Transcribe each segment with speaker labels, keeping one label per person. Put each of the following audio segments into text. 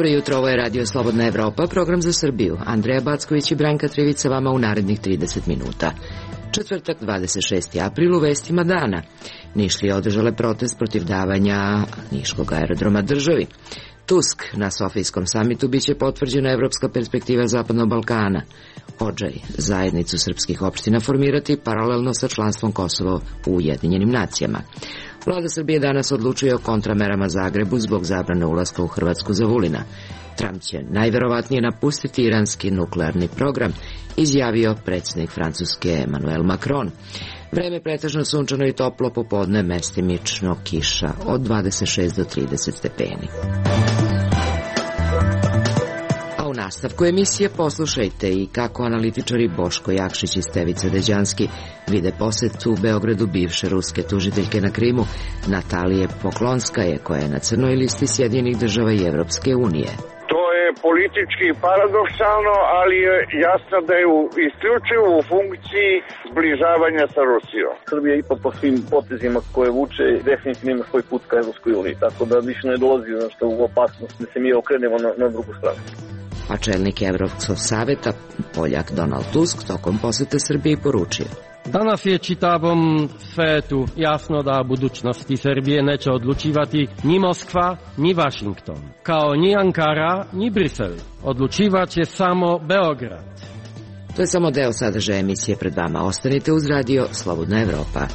Speaker 1: Dobro jutro, ovo je Radio Slobodna Evropa, program za Srbiju. Andreja Backović i Branka Trivica vama u narednih 30 minuta. Četvrtak, 26. april, u vestima dana. Nišlije održale protest protiv davanja niškog aerodroma državi. Tusk, na Sofijskom samitu biće potvrđena evropska perspektiva Zapadnog Balkana. Odžaj, zajednicu srpskih opština formirati paralelno sa članstvom Kosova u Ujedinjenim nacijama. Vlada Srbije danas odlučuje o kontramerama Zagrebu zbog zabrane ulaska u Hrvatsku za Vulina. Trump će najverovatnije napustiti iranski nuklearni program, izjavio predsjednik Francuske Emmanuel Macron. Vreme pretežno sunčano i toplo, popodne mestimično kiša od 26 do 30 stepeni. U nastavku emisije poslušajte i kako analitičari Boško Jakšić i Stevica Deđanski vide posetu u Beogradu bivše ruske tužiteljke na Krimu Natalije Poklonskaje, koja je na crnoj listi Sjedinjenih država i Evropske unije.
Speaker 2: To je politički paradoksalno, ali je jasno da je isključivo u funkciji zbližavanja sa Rusijom.
Speaker 3: Srbija ipak po svim potezima koje vuče definitivno ima svoj put ka Evropskoj uniji, tako da više ne dolazi u opasnost da se mi okrenemo na drugu stranu.
Speaker 1: A čelnik Evropskog saveta, Poljak Donald Tusk, tokom posete Srbiji poručio:
Speaker 4: Danas je čitavom svetu jasno da budućnosti Srbije neće odlučivati ni Moskva, ni Washington, kao ni Ankara, ni Brisel. Odlučivat će samo Beograd.
Speaker 1: To je samo deo sadržaja emisije pred vama. Ostanite uz Radio Slobodna Evropa.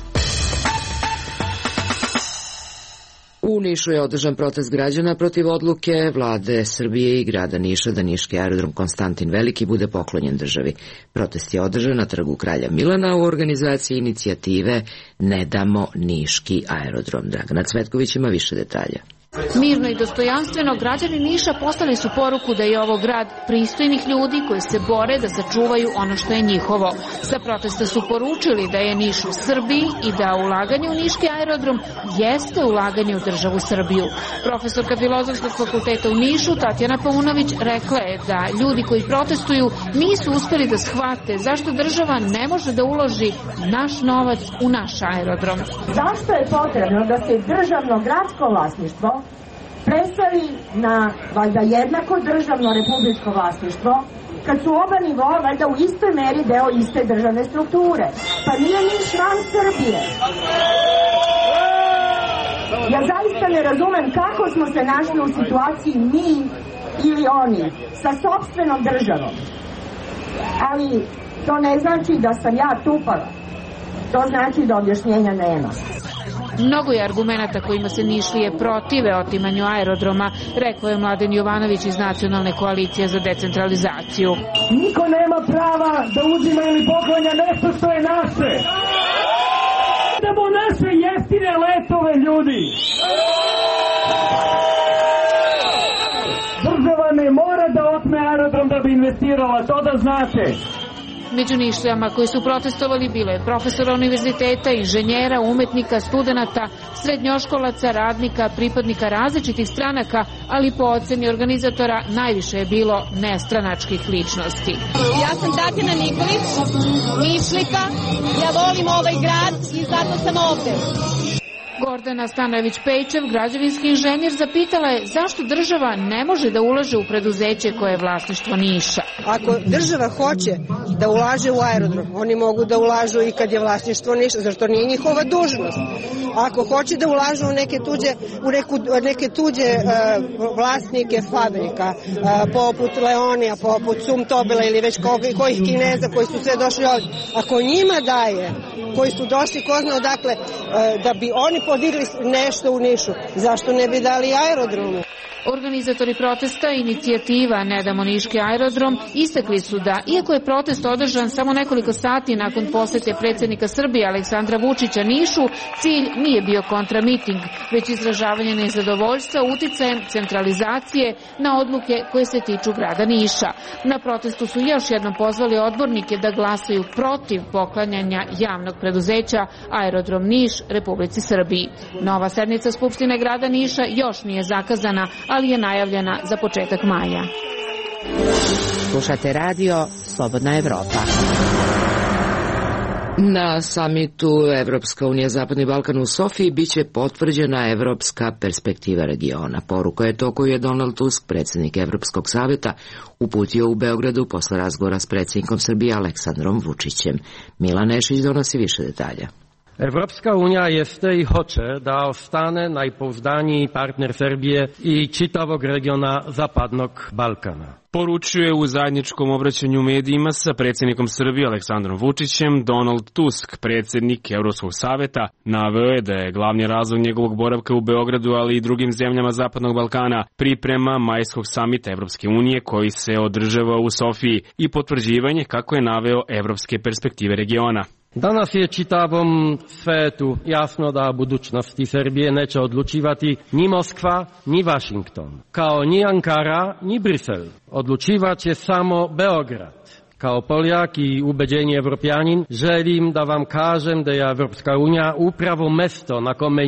Speaker 1: U Nišu je održan protest građana protiv odluke vlade Srbije i grada Niša da niški aerodrom Konstantin Veliki bude poklonjen državi. Protest je održan na trgu Kralja Milana u organizaciji inicijative Ne damo niški aerodrom. Dragana Cvetković ima više detalja.
Speaker 5: Mirno i dostojanstveno građani Niša poslali su poruku da je ovo grad pristojnih ljudi koji se bore da sačuvaju ono što je njihovo. Sa protesta su poručili da je Niš u Srbiji i da ulaganje u niški aerodrom jeste ulaganje u državu Srbiju. Profesorka Filozofskog fakulteta u Nišu Tatjana Paunović rekla je da ljudi koji protestuju nisu uspeli da shvate zašto država ne može da uloži naš novac u naš aerodrom.
Speaker 6: Zašto je potrebno da se državno gradsko vlasništvo preseli na valjda jednako državno republičko vlasništvo, kad su oba nivoa valjda u istoj meri deo iste državne strukture? Pa nije Niš van Srbije. Ja zaista ne razumem kako smo se našli u situaciji mi ili oni sa sopstvenom državom. Ali to ne znači da sam ja tupava. To znači da objašnjenja nema.
Speaker 5: Mnogo je argumenata kojima se Nišlije protive otimanju aerodroma, rekao je Mladen Jovanović iz Nacionalne koalicije za decentralizaciju.
Speaker 7: Niko nema prava da uzima ili poklanja nešto što je naše. Idemo naše jeftine letove, ljudi. Država ne mora da otme aerodrom da bi investirala, to da znate.
Speaker 5: Među Nišlijama koji su protestovali bilo je profesora univerziteta, inženjera, umetnika, studenata, srednjoškolaca, radnika, pripadnika različitih stranaka, ali po oceni organizatora najviše je bilo nestranačkih ličnosti.
Speaker 8: Ja sam Tatjana Nikolić, Nišlika, ja volim ovaj grad i zato sam ovde.
Speaker 5: Gordana Stanojević-Pejčev, građevinski inženjer, zapitala je zašto država ne može da ulaže u preduzeće koje je vlasništvo Niša.
Speaker 9: Ako država hoće da ulaže u aerodrom, oni mogu da ulažu i kad je vlasništvo Niša, zašto nije njihova dužnost. Ako hoće da ulažu u neke tuđe vlasnike fabrika, poput Leonija, poput Sumtobela ili već kojih Kineza koji su sve došli ovdje, ako njima daje, koji su došli ko zna odakle, da bi oni podigli nešto u Nišu, zašto ne bi dali aerodromu?
Speaker 5: Organizatori protesta inicijativa Ne damo niški aerodrom istakli su da, iako je protest održan samo nekoliko sati nakon posete predsjednika Srbije Aleksandra Vučića Nišu, cilj nije bio kontramiting, već izražavanje nezadovoljstva uticajem centralizacije na odluke koje se tiču grada Niša. Na protestu su još jednom pozvali odbornike da glasaju protiv poklanjanja javnog preduzeća Aerodrom Niš Republici Srbiji. Nova sednica Skupštine grada Niša još nije zakazana, ali je najavljena za početak maja.
Speaker 1: Slušate Radio Slobodna Evropa. Na samitu Evropska unija Zapadni Balkan u Sofiji biće potvrđena evropska perspektiva regiona. Poruka je to koju je Donald Tusk, predsjednik Evropskog saveta, uputio u Beogradu posle razgovora s predsjednikom Srbije Aleksandrom Vučićem. Milan Nešić donosi više detalja.
Speaker 4: Evropska unija jeste i hoće da ostane najpouzdaniji partner Srbije i čitavog regiona Zapadnog Balkana.
Speaker 10: Poručuje u zajedničkom obraćanju medijima sa predsjednikom Srbije Aleksandrom Vučićem Donald Tusk, predsjednik Evropskog saveta. Naveo je da je glavni razlog njegovog boravka u Beogradu, ali i drugim zemljama Zapadnog Balkana, priprema majskog samita Evropske unije koji se održava u Sofiji i potvrđivanje, kako je naveo, evropske perspektive regiona.
Speaker 4: Danas je čitavom svetu jasno da budućnosti Srbije neće odlučivati ni Moskva, ni Washington, kao ni Ankara, ni Brisel. Odlučivat će samo Beograd. Kao Poljak i ubeđeni Evropljanin želim da vam kažem da je Evropska unija upravo mesto na kome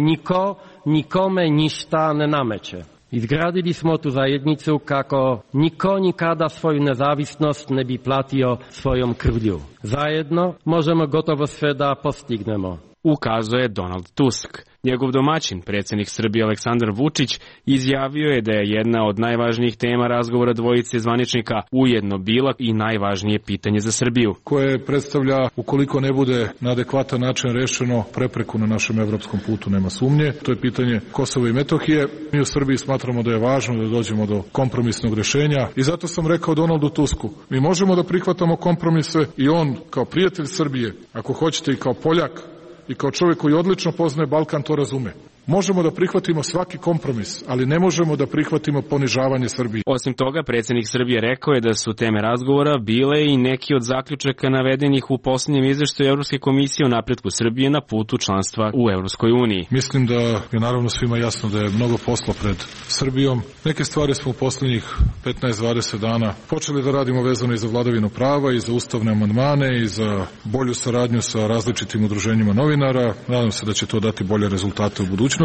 Speaker 4: nikome ništa ne nameće. Izgradili smo tu zajednicu kako niko nikada svoju nezavisnost ne bi platio svojom krvlju. Zajedno možemo gotovo sve da postignemo,
Speaker 10: ukazuje Donald Tusk. Njegov domaćin, predsjednik Srbije Aleksandar Vučić, izjavio je da je jedna od najvažnijih tema razgovora dvojice zvaničnika ujedno bila i najvažnije pitanje za Srbiju,
Speaker 11: koje predstavlja, ukoliko ne bude na adekvatan način rešeno, prepreku na našem evropskom putu, nema sumnje. To je pitanje Kosova i Metohije. Mi u Srbiji smatramo da je važno da dođemo do kompromisnog rešenja i zato sam rekao Donaldu Tusku, mi možemo da prihvatamo kompromise i on kao prijatelj Srbije, ako hoćete i kao Poljak, i kao čovjek koji odlično poznaje Balkan to razume. Možemo da prihvatimo svaki kompromis, ali ne možemo da prihvatimo ponižavanje Srbije.
Speaker 10: Osim toga, predsjednik Srbije rekao je da su teme razgovora bile i neki od zaključaka navedenih u posljednjem izveštaju Evropske komisije o napretku Srbije na putu članstva u Evropskoj uniji.
Speaker 11: Mislim da je naravno svima jasno da je mnogo posla pred Srbijom. Neke stvari smo u posljednjih 15-20 dana počeli da radimo vezano i za vladavinu prava i za ustavne amandmane i za bolju saradnju sa različitim udruženjima novinara. Nadam se da će to dati bolje rezultate u budućnosti,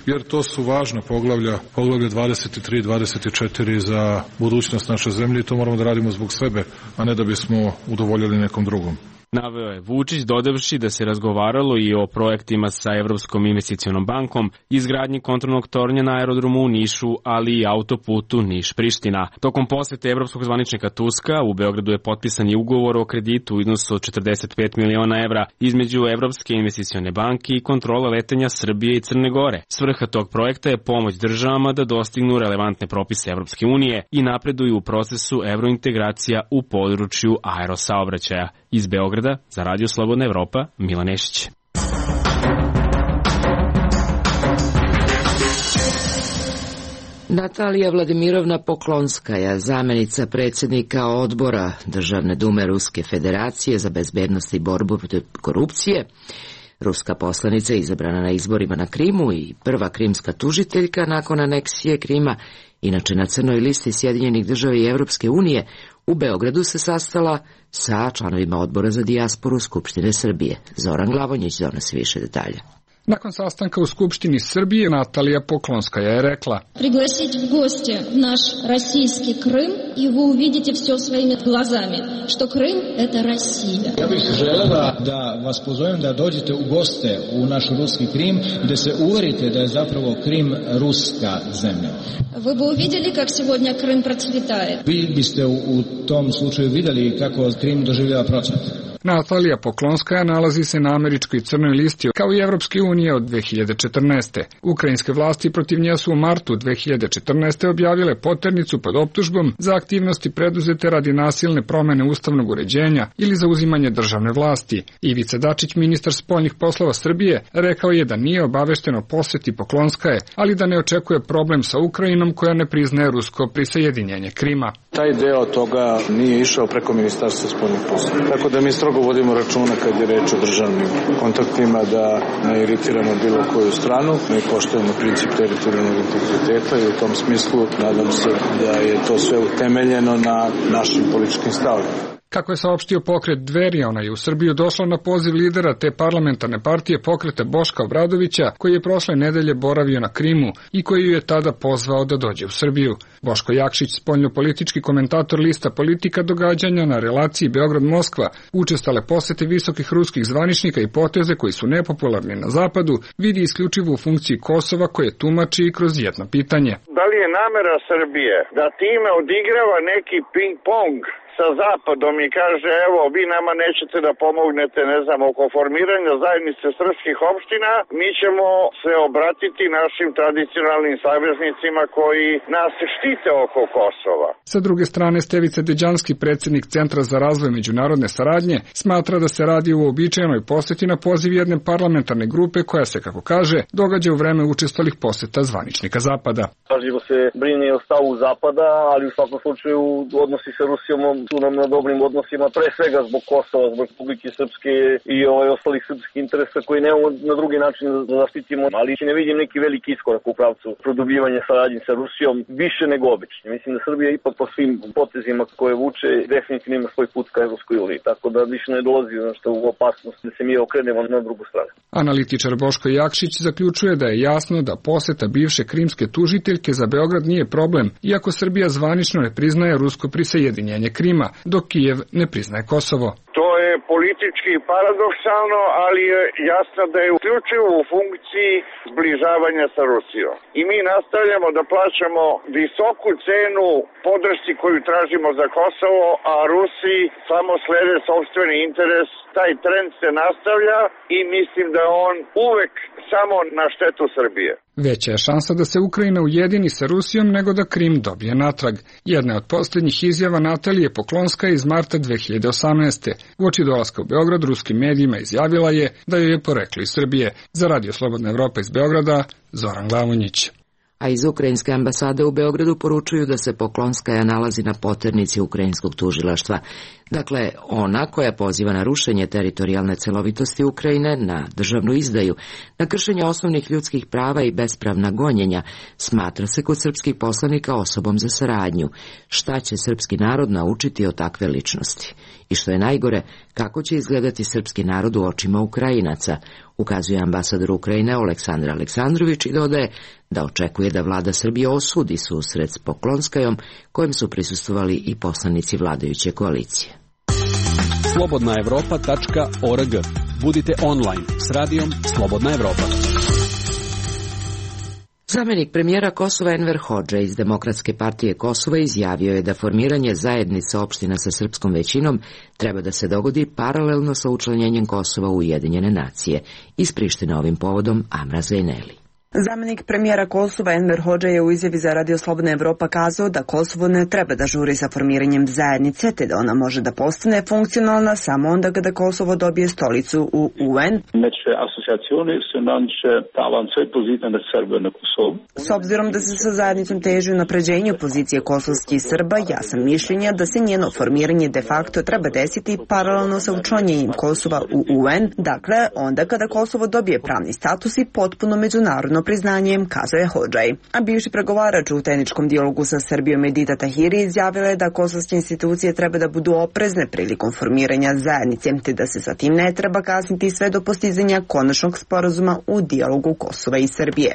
Speaker 11: jer to su važna poglavlje 23 i 24 za budućnost naše zemlje i to moramo da radimo zbog sebe, a ne da bismo udovoljili nekom drugom.
Speaker 10: Naveo je Vučić, dodavši da se razgovaralo i o projektima sa Evropskom investicionom bankom, izgradnji kontrolnog tornja na aerodromu u Nišu, ali i autoputu Niš-Priština. Tokom posete evropskog zvaničnika Tuska u Beogradu je potpisan i ugovor o kreditu u iznosu od 45 miliona evra između Evropske investicione banke i kontrole letenja Srbije i Crne Gore. Svrha tog projekta je pomoć državama da dostignu relevantne propise Evropske unije i napreduju u procesu evrointegracija u području aerosaobraćaja. Iz Beograda za Radio Slobodna Evropa, Milan Nešić.
Speaker 1: Natalija Vladimirovna Poklonskaja, zamenica predsjednika odbora Državne dume Ruske federacije za bezbednost i borbu protiv korupcije, ruska poslanica izabrana na izborima na Krimu i prva krimska tužiteljka nakon aneksije Krima, inače na crnoj listi Sjedinjenih država i Evropske unije, u Beogradu se sastala sa članovima odbora za dijasporu Skupštine Srbije. Zoran Glavonjić donosi više detalja.
Speaker 12: Nakon sastanka u Skupštini Srbije, Natalija Poklonskaja je rekla:
Speaker 13: Пригласить в гости наш российский Крым, и вы увидите все своими глазами, что Крым – это Россия.
Speaker 14: Ja bih želela da vas pozovem da dođete u goste u naš ruski Krim, gde se uverite da je zapravo Krim ruska zemlja.
Speaker 13: Вы бы увидели, как сегодня Крым процветает.
Speaker 14: Vi biste u tom slučaju videli kako Krim doživljava procvat.
Speaker 12: Natalija Poklonskaja nalazi se na američkoj crnoj listi kao i Evropske unije od 2014. Ukrajinske vlasti protiv nje su u martu 2014. objavile poternicu pod optužbom za aktivnosti preduzete radi nasilne promene ustavnog uređenja ili za uzimanje državne vlasti. Ivica Dačić, ministar spoljnih poslova Srbije, rekao je da nije obavešten o poseti Poklonskaje, ali da ne očekuje problem sa Ukrajinom koja ne priznaje rusko prisajedinjenje Krima.
Speaker 15: Taj deo toga nije išao preko Ministarstva spoljnih poslova. Tako da mi strogo vodimo računa kad je reč o državnim kontaktima da ne iritiramo bilo koju stranu. Mi poštujemo princip teritorijalnog integriteta i u tom smislu nadam se da je to sve utemeljeno na našim političkim stavima.
Speaker 12: Kako je saopštio pokret Dveri, ona je u Srbiju došla na poziv lidera te parlamentarne partije pokreta Boška Obradovića, koji je prošle nedelje boravio na Krimu i koji ju je tada pozvao da dođe u Srbiju. Boško Jakšić, spoljnopolitički komentator lista Politika događanja na relaciji Beograd-Moskva, učestale posete visokih ruskih zvaničnika i poteze koji su nepopularni na zapadu, vidi isključivo u funkciji Kosova koje tumači i kroz jedno pitanje.
Speaker 2: Da li je namera Srbije da time odigrava neki ping-pong sa zapadom i kaže evo vi nama nećete da pomognete ne znam oko formiranja zajednice srpskih opština, mi ćemo se obratiti našim tradicionalnim saveznicima koji nas štite oko Kosova.
Speaker 12: Sa druge strane, Stevica Deđanski, predsjednik Centra za razvoj međunarodne saradnje, smatra da se radi o uobičajenoj poseti na poziv jedne parlamentarne grupe koja se, kako kaže, događa u vreme učestalih poseta zvaničnika Zapada.
Speaker 3: Pažljivo se brine o stavu Zapada, ali u svakom slučaju odnosi sa Rusijom su nam na dobrim odnosima, pre svega zbog Kosova, zbog Republike Srpske i ostalih srpskih interesa koji nemamo na drugi način da zaštitimo, ali ne vidim neki veliki iskorak u pravcu produbljivanja saradnje sa Rusijom, više nego obično. Mislim da Srbija ipak po svim potezima koje vuče definitivno ima svoj put ka Evropskoj uniji, tako da više ne dolazi u opasnost da se mi okrenemo na drugu stranu.
Speaker 12: Analitičar Boško Jakšić zaključuje da je jasno da poseta bivše krimske tužiteljke za Beograd nije problem, iako Srbija zvanično ne priznaje rusko prisajedinjenje Krima, dok Kijev ne priznaje Kosovo.
Speaker 2: To je politički paradoksalno, ali je jasno da je uključivo u funkciji zbližavanja sa Rusijom. I mi nastavljamo da plaćamo visoku cenu podršci koju tražimo za Kosovo, a Rusiji samo slede sopstveni interes. Taj trend se nastavlja i mislim da je on uvek samo na štetu Srbije.
Speaker 12: Veća je šansa da se Ukrajina ujedini sa Rusijom nego da Krim dobije natrag. Jedna od posljednjih izjava Natalije Poklonska iz marta 2018. Uoči dolaska u Beograd ruskim medijima izjavila je da joj je poreklo iz Srbije. Za Radio Slobodna Evropa iz Beograda, Zoran Glavonjić.
Speaker 1: A iz ukrajinske ambasade u Beogradu poručuju da se Poklonskaja nalazi na poternici ukrajinskog tužilaštva. Dakle, ona koja poziva na rušenje teritorijalne celovitosti Ukrajine, na državnu izdaju, na kršenje osnovnih ljudskih prava i bespravna gonjenja, smatra se kod srpskih poslanika osobom za saradnju. Šta će srpski narod naučiti od takve ličnosti? I što je najgore, kako će izgledati srpski narod u očima Ukrajinaca, ukazuje ambasador Ukrajine Aleksandar Aleksandrović i dodaje da očekuje da vlada Srbije osudi susret s Poklonskajom, kojem su prisustvovali i poslanici vladajuće koalicije.
Speaker 16: slobodnaevropa.org. Budite online s radijom Slobodna Evropa.
Speaker 1: Zamenik premijera Kosova Enver Hodža iz Demokratske partije Kosova izjavio je da formiranje zajednice opština sa srpskom većinom treba da se dogodi paralelno sa učlanjenjem Kosova u Ujedinjene nacije. Iz Prištine ovim povodom Amra Zejneli.
Speaker 17: Zamenik premijera Kosova Enver Hodža je u izjavi za Radio Slobodna Evropa kazao da Kosovo ne treba da žuri sa formiranjem zajednice, te da ona može da postane funkcionalna samo onda kada Kosovo dobije stolicu u UN. S obzirom da se sa zajednicom teži unapređenju pozicije kosovskih Srba, ja sam mišljenja da se njeno formiranje de facto treba desiti paralelno sa učlanjenjem Kosova u UN, dakle onda kada Kosovo dobije pravni status i potpuno međunarodno priznanjem, kazao je Hodžaj. A bivši pregovarač u tehničkom dijalogu sa Srbijom Edita Tahiri izjavila je da kosovske institucije treba da budu oprezne prilikom formiranja zajednice, te da se sa tim ne treba kasniti sve do postizanja konačnog sporazuma u dijalogu Kosova i Srbije.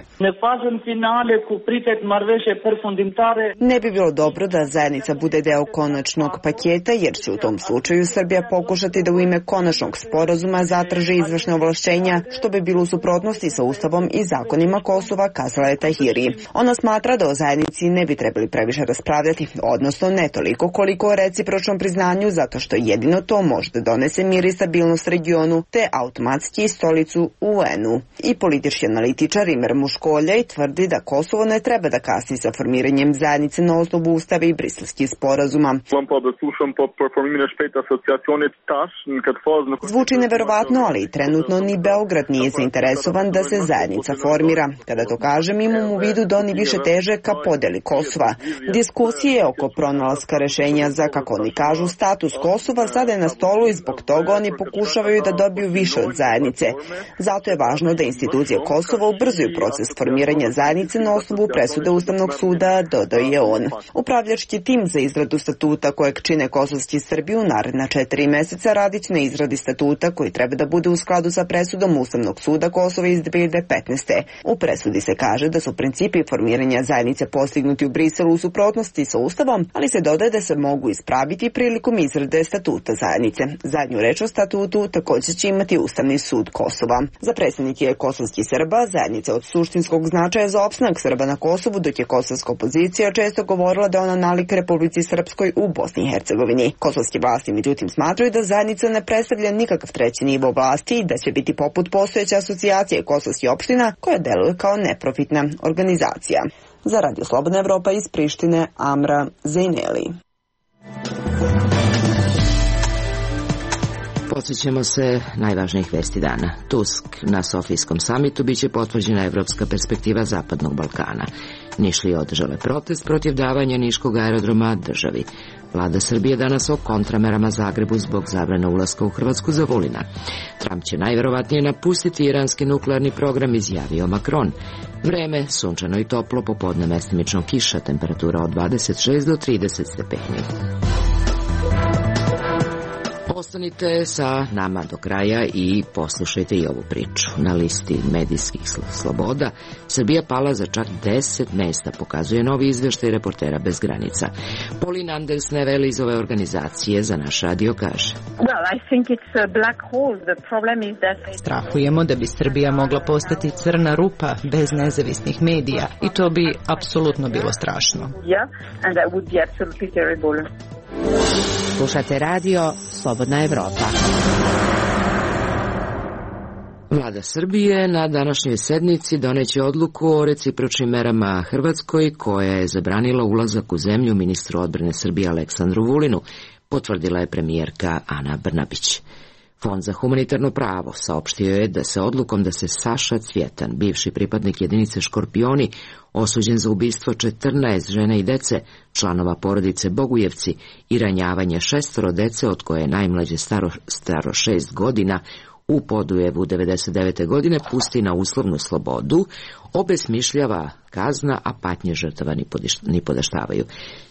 Speaker 17: Ne bi bilo dobro da zajednica bude deo konačnog paketa, jer će u tom slučaju Srbija pokušati da u ime konačnog sporazuma zatraži izvršne ovlašćenja, što bi bilo u suprotnosti sa Ustavom i zakonima Kosova, kazala je Tahiri. Ona smatra da o zajednici ne bi trebali previše raspravljati, odnosno ne toliko koliko o recipročnom priznanju, zato što jedino to može da donese mir i stabilnost regionu, te automatski stolicu u UN-u. I politički analitičar Imer Muškoljaj tvrdi da Kosovo ne treba da kasni sa formiranjem zajednice na osnovu Ustava i Briselskih sporazuma. Zvuči neverovatno, ali trenutno ni Beograd nije zainteresovan da se zajednica formira. Srbija. Kada to kažem, imam u vidu da oni više teže ka podeli Kosova. Diskusije oko pronalaska rešenja za, kako oni kažu, status Kosova sada je na stolu i zbog toga oni pokušavaju da dobiju više od zajednice. Zato je važno da institucije Kosova ubrzuju proces formiranja zajednice na osnovu presude Ustavnog suda, dodao je on. Upravljački tim za izradu statuta kojeg čine kosovski Srbi u naredna 4 meseca radić na izradi statuta koji treba da bude u skladu sa presudom Ustavnog suda Kosova iz 2015. U presudi se kaže da su principi formiranja zajednice postignuti u Briselu u suprotnosti sa Ustavom, ali se dodaje da se mogu ispraviti prilikom izrade statuta zajednice. Zadnju reč o statutu također će imati Ustavni sud Kosova. Za predstavnike kosovskih Srba zajednica od suštinskog značaja za opstanak Srba na Kosovu, dok je kosovska opozicija često govorila da ona nalik Republici Srpskoj u Bosni i Hercegovini. Kosovske vlasti međutim smatraju da zajednica ne predstavlja nikakav treći nivo vlasti i da će biti poput postojeće asocijacije kosovskih opština koja deluje kao neprofitna organizacija. Za Radio Slobodna Evropa iz Prištine, Amra Zejneli.
Speaker 1: Podsjećamo se najvažnijih vesti dana. Tusk na Sofijskom samitu biće potvrđena evropska perspektiva Zapadnog Balkana. Nišlije održale protest protiv davanja niškog aerodroma državi. Vlada Srbije danas o kontramerama Zagrebu zbog zabrane ulaska u Hrvatsku za Vulina. Trump će najverovatnije napustiti iranski nuklearni program, izjavio Macron. Vreme, sunčano i toplo, popodne mestimično kiša, temperatura od 26 do 30 stepeni. Ostanite sa nama do kraja i poslušajte i ovu priču. Na listi medijskih sloboda Srbija pala za čak 10 mesta, pokazuje novi izveštaj Reportera bez granica. Pauline Andersnevel iz ove organizacije za naš radio kaže:
Speaker 18: Strahujemo da bi Srbija mogla postati crna rupa bez nezavisnih medija i to bi apsolutno bilo strašno.
Speaker 1: Slušate radio Slobodna Evropa. Vlada Srbije na današnjoj sednici doneće odluku o recipročnim merama Hrvatskoj koja je zabranila ulazak u zemlju ministru odbrane Srbije Aleksandru Vulinu, potvrdila je premijerka Ana Brnabić. Fond za humanitarno pravo saopštio je da se odlukom da se Saša Cvjetan, bivši pripadnik jedinice Škorpioni, osuđen za ubistvo 14 žena i dece, članova porodice Bogujevci i ranjavanje 6 dece od koje je najmlađe staro 6 godina, u Podujevu 99. godine pusti na uslovnu slobodu, obesmišljava kazna, a patnje žrtava ni podaštavaju.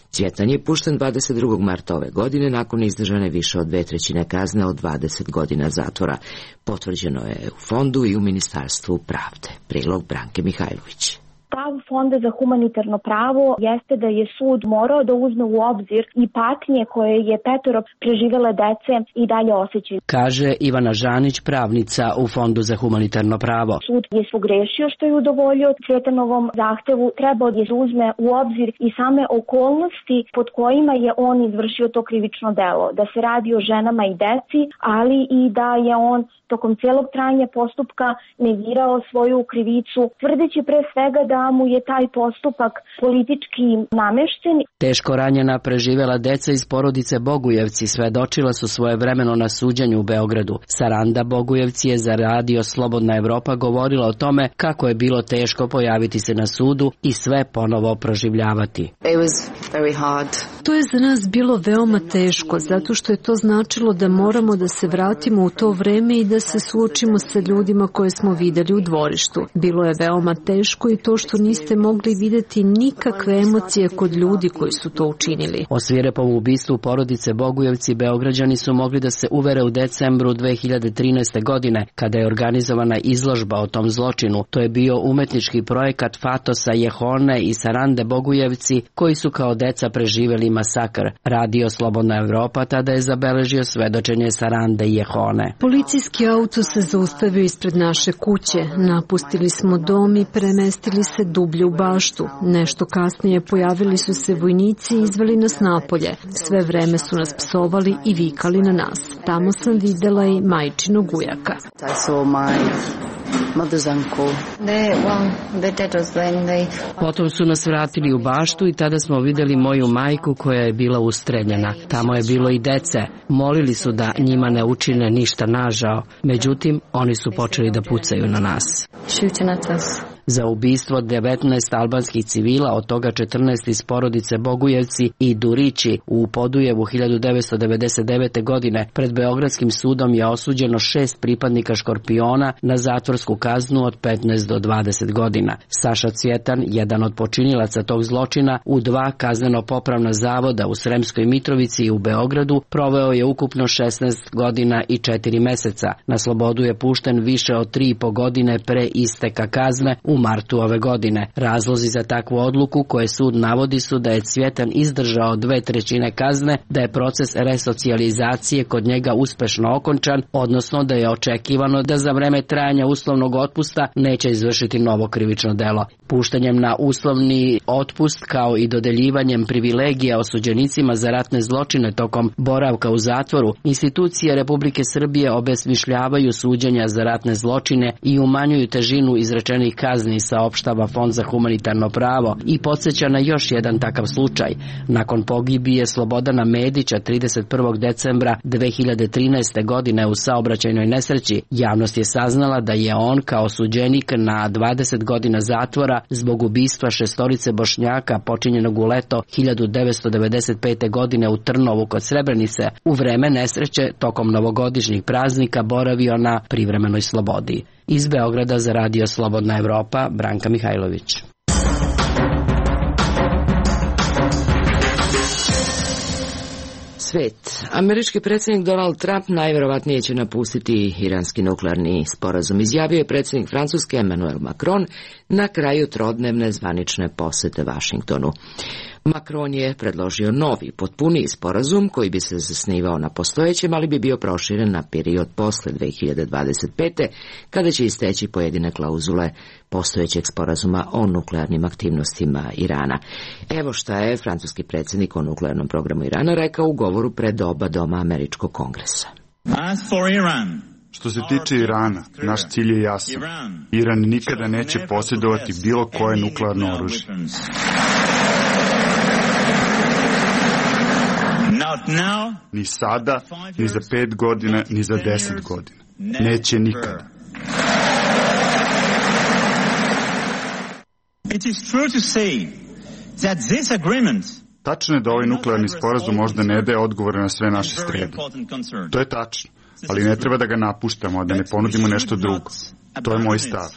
Speaker 1: Cvjetan je pušten 22. marta ove godine nakon izdržane više od 2/3 kazne od 20 godina zatvora. Potvrđeno je u fondu i u Ministarstvu pravde. Prilog Branke Mihajlović.
Speaker 19: Stav Fonda za humanitarno pravo jeste da je sud morao da uzme u obzir i patnje koje je 5 preživele dece i dalje osjećaju.
Speaker 20: Kaže Ivana Žanić, pravnica u Fondu za humanitarno pravo.
Speaker 19: Sud je pogrešio što je udovoljio Cvjetanovom zahtevu, trebao da uzme u obzir i same okolnosti pod kojima je on izvršio to krivično delo. Da se radi o ženama i deci, ali i da je on tokom cijelog trajanja postupka negirao svoju krivicu, tvrdeći pre svega da mu je taj postupak politički namešten.
Speaker 20: Teško ranjena preživela deca iz porodice Bogujevci svedočila su svojevremeno na suđenju u Beogradu. Saranda Bogujevci je za radio Slobodna Evropa govorila o tome kako je bilo teško pojaviti se na sudu i sve ponovo proživljavati.
Speaker 21: To je za nas bilo veoma teško, zato što je to značilo da moramo da se vratimo u to vreme i da se suočimo sa ljudima koje smo videli u dvorištu. Bilo je veoma teško i to što niste mogli videti nikakve emocije kod ljudi koji su to učinili.
Speaker 20: O svirepom ubistvu porodice Bogujevci Beograđani su mogli da se uvere u decembru 2013. godine, kada je organizovana izložba o tom zločinu. To je bio umetnički projekat Fatosa Jehone i Sarande Bogujevci, koji su kao deca preživeli masakr. Radio Slobodna Evropa tada je zabeležio svedočenje Sarande i Jehone.
Speaker 21: Policijski auto se zaustavio ispred naše kuće. Napustili smo dom i premestili se dublje u baštu. Nešto kasnije pojavili su se vojnici i izveli nas napolje. Sve vreme su nas psovali i vikali na nas. Tamo sam videla i majčinog ujaka.
Speaker 20: Potom su nas vratili u baštu i tada smo videli moju majku koja je bila ustreljena. Tamo je bilo i dece. Molili su da njima ne učine ništa nažao. Međutim, oni su počeli da pucaju na nas. za ubistvo 19 albanskih civila, od toga 14 iz porodice Bogujevci i Durići u Podujevu 1999. godine. Pred Beogradskim sudom je osuđeno 6 pripadnika Škorpiona na zatvorsku kaznu od 15 do 20 godina. Saša Cvjetan, jedan od počinilaca tog zločina, u 2 kazneno-popravna zavoda u Sremskoj Mitrovici i u Beogradu proveo je ukupno 16 godina i 4 meseca. Na slobodu je pušten više od 3,5 godine pre isteka kazne u martu ove godine. Razlozi za takvu odluku koje sud navodi su da je Cvjetan izdržao 2/3 kazne, da je proces resocijalizacije kod njega uspešno okončan, odnosno da je očekivano da za vreme trajanja uslovnog otpusta neće izvršiti novo krivično delo. Puštanjem na uslovni otpust kao i dodeljivanjem privilegija osuđenicima za ratne zločine tokom boravka u zatvoru, institucije Republike Srbije obesmišljavaju suđenja za ratne zločine i umanjuju težinu izrečenih kazni, saopštava Fond za humanitarno pravo i podsjeća na još jedan takav slučaj. Nakon pogibije Slobodana Medića 31. decembra 2013. godine u saobraćajnoj nesreći, javnost je saznala da je on kao osuđenik na 20 godina zatvora zbog ubistva 6 Bošnjaka počinjenog u leto 1995. godine u Trnovu kod Srebrenice u vreme nesreće tokom novogodišnjih praznika boravio na privremenoj slobodi. Iz Beograda za Radio Slobodna Evropa, Branka Mihajlović.
Speaker 1: Svet. Američki predsjednik Donald Trump najverovatnije će napustiti iranski nuklearni sporazum, izjavio je predsjednik Francuske Emmanuel Macron na kraju trodnevne zvanične posete Vašingtonu. Macron je predložio novi, potpuniji sporazum koji bi se zasnivao na postojećem, ali bi bio proširen na period posle 2025. kada će isteći pojedine klauzule postojećeg sporazuma o nuklearnim aktivnostima Irana. Evo šta je francuski predsjednik o nuklearnom programu Irana rekao u govoru pred oba doma Američkog kongresa.
Speaker 6: Što se tiče Irana, naš cilj je jasan. Iran nikada neće posjedovati bilo koje nuklearno oružje. Ni sada, ni za 5 godina, ni za 10 godina. Neće nikada. Tačno je da ovaj nuklearni sporazum možda ne daje odgovore na sve naše strede. To je tačno, ali ne treba da ga napuštamo, a da ne ponudimo nešto drugo. To je moj stav.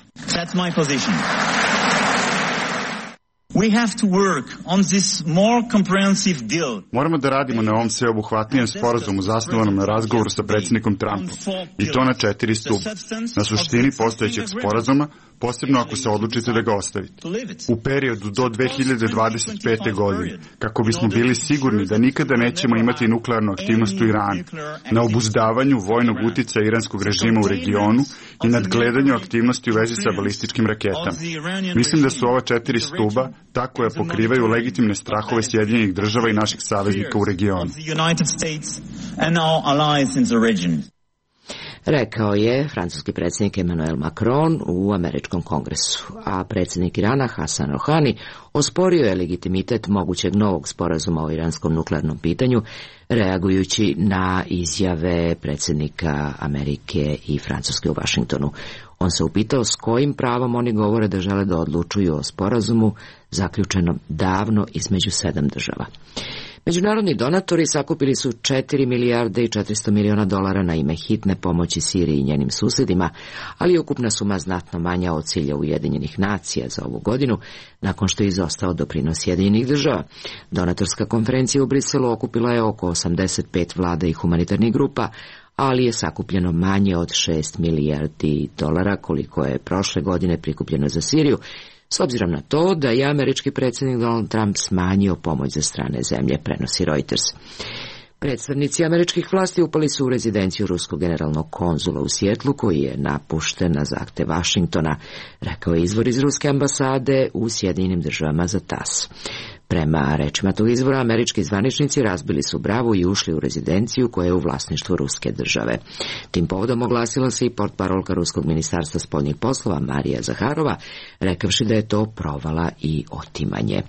Speaker 6: Moramo da radimo na ovom sveobuhvatnijem sporazumu zasnovanom na razgovoru sa predsjednikom Trumpom, i to na 4 stuba. Na suštini postojećeg sporazuma, posebno ako se odlučite da ga ostavite. U periodu do 2025. godine, kako bismo bili sigurni da nikada nećemo imati nuklearnu aktivnost u Iranu, na obuzdavanju vojnog uticaja iranskog režima u regionu i nadgledanju aktivnosti u vezi sa balističkim raketama. Mislim da su ova 4 stuba ta koja pokrivaju legitimne strahove Sjedinjenih država i naših saveznika u regionu.
Speaker 1: Rekao je francuski predsjednik Emmanuel Macron u Američkom kongresu, a predsjednik Irana Hasan Rohani osporio je legitimitet mogućeg novog sporazuma o iranskom nuklearnom pitanju, reagujući na izjave predsjednika Amerike i Francuske u Vašingtonu. On se upitao s kojim pravom oni govore da žele da odlučuju o sporazumu zaključenom davno između 7 država. Međunarodni donatori sakupili su 4 milijarde i 400 miliona dolara na ime hitne pomoći Siriji i njenim susjedima, ali je ukupna suma znatno manja od cilja Ujedinjenih nacija za ovu godinu, nakon što je izostao doprinos Sjedinjenih država. Donatorska konferencija u Briselu okupila je oko 85 vlada i humanitarnih grupa, ali je sakupljeno manje od 6 milijardi dolara koliko je prošle godine prikupljeno za Siriju, s obzirom na to da je američki predsjednik Donald Trump smanjio pomoć za strane zemlje, prenosi Reuters. Predstavnici američkih vlasti upali su u rezidenciju ruskog generalnog konzula u Sijetlu, koji je napušten na zahtev Vašingtona, rekao je izvor iz ruske ambasade u Sjedinjenim državama za TASS. Prema rečima tog izvora, američki zvaničnici razbili su bravu i ušli u rezidenciju koja je u vlasništvu ruske države. Tim povodom oglasila se i portparolka Ruskog ministarstva spoljnih poslova Marija Zaharova, rekavši da je to provala i otimanje.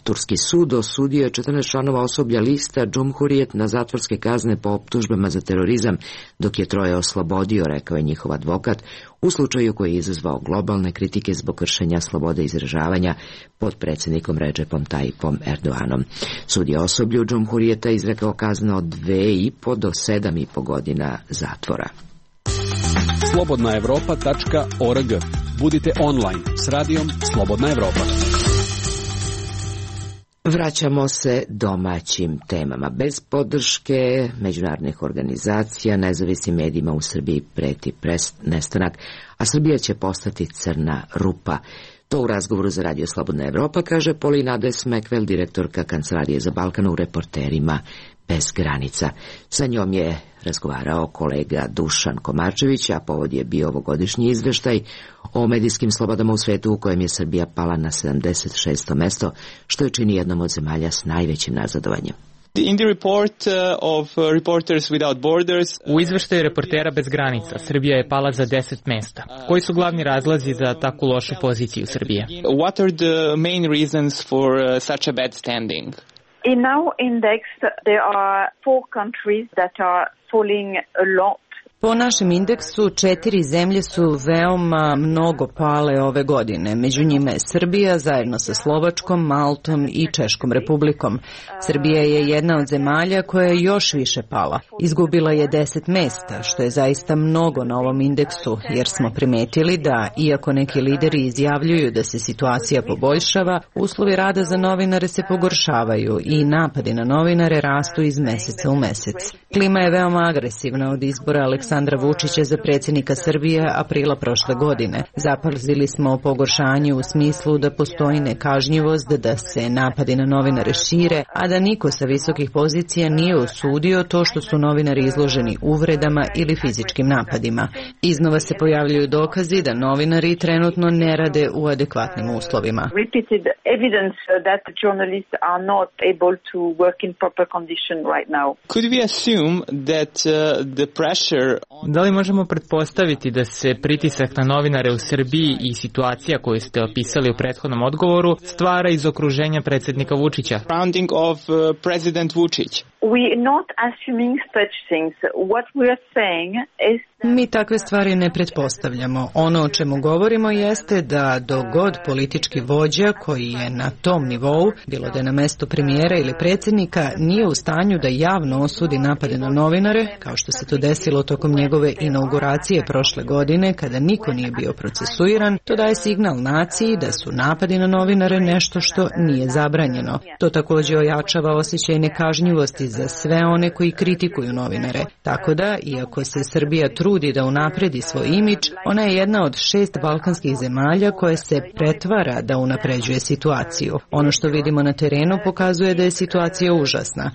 Speaker 1: Turski sud osudio je 14 članova osoblja lista Cumhuriyet na zatvorske kazne po optužbama za terorizam, dok je 3 oslobodio, rekao je njihov advokat, u slučaju koji je izazvao globalne kritike zbog kršenja slobode izražavanja pod predsjednikom Recepom Tayyipom Erdoganom. Sud je osoblju Cumhuriyeta izrekao kaznu od 2,5 do 7,5 godina zatvora.
Speaker 16: slobodnaevropa.org. Budite online s radijom Slobodna Evropa.
Speaker 1: Vraćamo se domaćim temama. Bez podrške međunarodnih organizacija, nezavisnim medijima u Srbiji preti nestanak, a Srbija će postati crna rupa. To u razgovoru za Radio Slobodna Evropa kaže Polina Desmekvel, direktorka Kancelarije za Balkan u Reporterima bez granica. Sa njom je razgovarao kolega Dušan Komarčević, a povod je bio ovogodišnji izveštaj o medijskim slobodama u svetu u kojem je Srbija pala na 76. mesto, što je čini jednom od zemalja s najvećim nazadovanjem.
Speaker 7: U izveštaju Reportera bez granica, Srbija je pala za 10 mesta. Koji su glavni razlozi za takvu lošu poziciju Srbije?
Speaker 22: What are the main reasons for such a bad standing?
Speaker 23: In our index, there are 4 countries that are falling a lot.
Speaker 18: Po našem indeksu 4 zemlje su veoma mnogo pale ove godine. Među njima je Srbija zajedno sa Slovačkom, Maltom i Češkom republikom. Srbija je jedna od zemalja koja je još više pala. Izgubila je 10 mesta, što je zaista mnogo na ovom indeksu, jer smo primetili da, iako neki lideri izjavljuju da se situacija poboljšava, uslovi rada za novinare se pogoršavaju i napadi na novinare rastu iz meseca u mesec. Klima je veoma agresivna od izbora Aleksandra Vučića za predsjednika Srbije aprila prošle godine. Zapazili smo o pogoršanju u smislu da postoji nekažnjivost, da se napadi na novinare šire, a da niko sa visokih pozicija nije osudio to što su novinari izloženi uvredama ili fizičkim napadima. Iznova se pojavljuju dokazi da novinari trenutno ne rade u adekvatnim uslovima.
Speaker 7: Da li možemo pretpostaviti da se pritisak na novinare u Srbiji i situacija koju ste opisali u prethodnom odgovoru stvara iz okruženja predsjednika Vučića?
Speaker 18: Mi takve stvari ne pretpostavljamo. Ono o čemu govorimo jeste da dogod politički vođa koji je na tom nivou, bilo da je na mestu premijera ili predsjednika, nije u stanju da javno osudi napade na novinare, kao što se to desilo tokom njegove inauguracije prošle godine, kada niko nije bio procesuiran, to daje signal naciji da su napadi na novinare nešto što nije zabranjeno. To također ojačava osjećaj nekažnjivosti za sve one koji kritikuju novinare. Tako da, iako se Srbija trudi da unapredi svoj imidž, ona je jedna od 6 balkanskih zemalja koje se pretvara da unapređuje situaciju. Ono što vidimo na terenu pokazuje da je situacija užasna.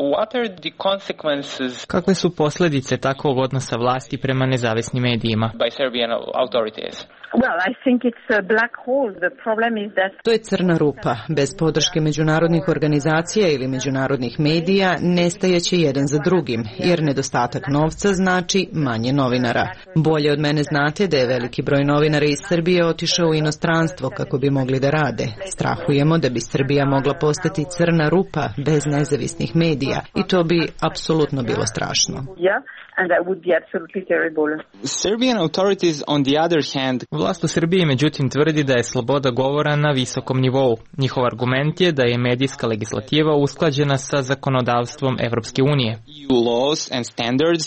Speaker 7: Kakve su posljedice takvog odnosa vlasti prema nezavisnim medijima?
Speaker 18: To je crna rupa. Bez podrške međunarodnih organizacija ili međunarodnih medija nestajeće jedan za drugim, jer nedostatak novca znači manje novinara. Bolje od mene znate da je veliki broj novinara iz Srbije otišao u inostranstvo kako bi mogli da rade. Strahujemo da bi Srbija mogla postati crna rupa bez nezavisnih medija i to bi apsolutno bilo strašno.
Speaker 22: And that would be absolutely terrible. Serbian authorities, on the other hand,
Speaker 7: vlast u Srbiji međutim tvrdi da je sloboda govora na visokom nivou. Njihov argument je da je medijska legislativa usklađena sa zakonodavstvom Evropske unije.
Speaker 22: EU laws and standards.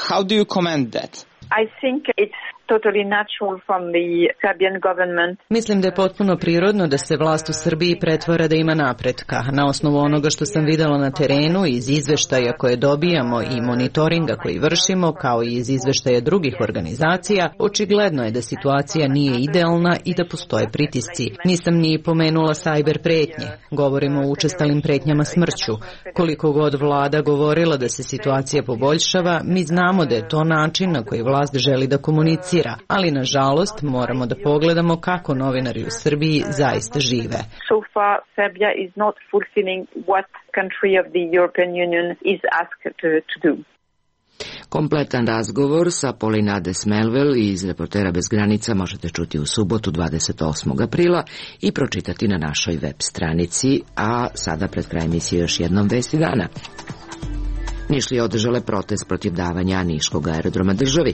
Speaker 22: How do you comment that? I think it's totally natural from the Serbian government.
Speaker 18: Mislim da je potpuno prirodno da se vlast u Srbiji pretvara da ima napretka. Na osnovu onoga što sam videla na terenu, iz izveštaja koje dobijamo i monitoringa koji vršimo, kao i iz izveštaja drugih organizacija, očigledno je da situacija nije idealna i da postoje pritisci. Nisam ni pomenula sajber pretnje. Govorimo o učestalim pretnjama smrću. Koliko god vlada govorila da se situacija poboljšava, mi znamo da je to način na koji vlast želi da komunicira komunicira, ali nažalost moramo da pogledamo kako novinari u Srbiji zaista žive.
Speaker 23: So far, Serbia is not fulfilling what country of the European Union is asked to do.
Speaker 1: Kompletan razgovor sa Polinades Melvel iz Reportera bez granica možete čuti u subotu 28. aprila i pročitati na našoj web stranici, a sada pred kraj emisije još jednom vesti dana. Nišlije održale protest protiv davanja niškog aerodroma državi.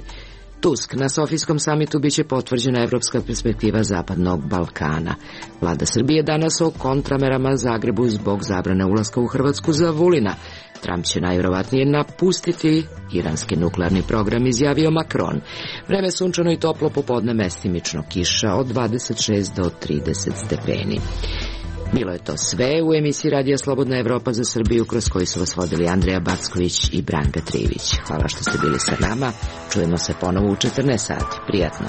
Speaker 1: Tusk, na Sofijskom samitu biće potvrđena evropska perspektiva Zapadnog Balkana. Vlada Srbije danas o kontramerama Zagrebu zbog zabrane ulaska u Hrvatsku za Vulina. Trump će najvjerovatnije napustiti iranski nuklearni program, izjavio Macron. Vreme sunčano i toplo, popodne mestimično kiša od 26 do 30 stepeni. Bilo je to sve u emisiji Radija Slobodna Evropa za Srbiju, kroz koju su vas vodili Andreja Backović i Branka Trivić. Hvala što ste bili sa nama. Čujemo se ponovo u 14 sati. Prijatno.